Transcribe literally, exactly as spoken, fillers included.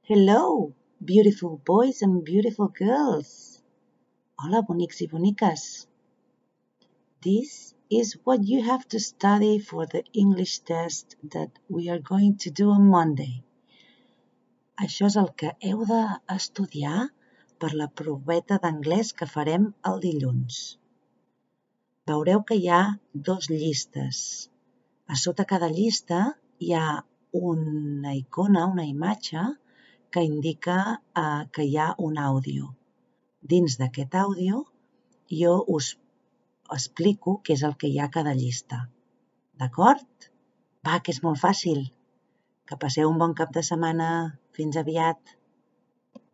Hello, beautiful boys and beautiful girls. Hola, bonics i boniques. This is what you have to study for the English test that we are going to do on Monday. Això és el que heu d'estudiar per la proveta d'anglès que farem el dilluns. Veureu que hi ha dos llistes. A sota cada llista hi ha una icona, una imatge, que indica eh, que hi ha un àudio. Dins d'aquest àudio jo us explico què és el que hi ha a cada llista. D'acord? Va, que és molt fàcil. Que passeu un bon cap de setmana. Fins aviat.